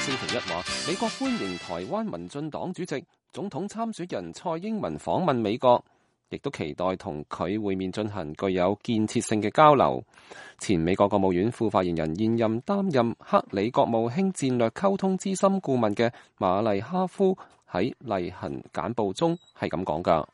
星期一話，美國歡迎台灣民進黨主席、總統參選人蔡英文訪問美國，亦都期待同佢會面進行具有建設性嘅交流。前美國國務院副發言人、現任擔任克里國務卿戰略溝通資深顧問嘅馬麗哈夫喺例行簡報中係咁講㗎。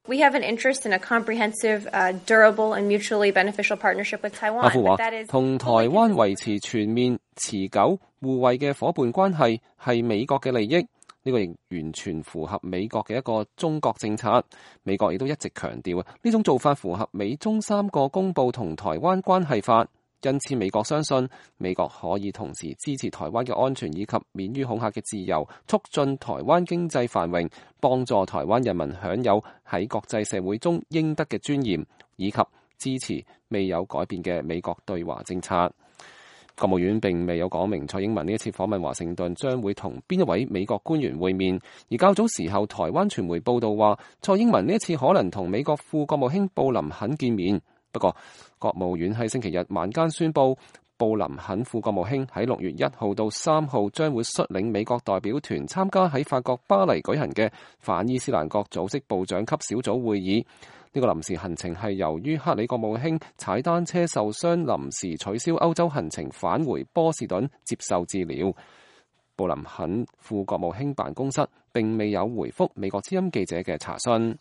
We have an interest in a comprehensive, durable and mutually beneficial partnership with Taiwan. 哈夫話，同台灣維持全面、持久、互惠嘅夥伴關係係美國嘅利益，呢個亦完全符合美國嘅一個中國政策。美國亦都一直強調呢種做法符合美中3個公報同台灣關係法。因此，美國相信美國可以同時支持台灣嘅安全以及免於恐嚇嘅自由，促進台灣經濟繁榮，幫助台灣人民享有喺國際社會中應得嘅尊嚴，以及支持未有改變嘅美國對華政策。國務院並未有講明蔡英文呢一次訪問華盛頓將會同邊一位美國官員會面，而較早時候台灣傳媒報道話，蔡英文呢一次可能同美國副國務卿布林肯見面。不過，國務院喺星期日晚間宣布，布林肯副國務卿喺6月1號到3號將會率領美國代表團參加喺法國巴黎舉行嘅反伊斯蘭國組織部長級小組會議。呢個臨時行程係由於克里國務卿踩單車受傷，臨時取消歐洲行程，返回波士頓接受治療。布林肯副國務卿辦公室並未有回覆美國之音記者嘅查詢。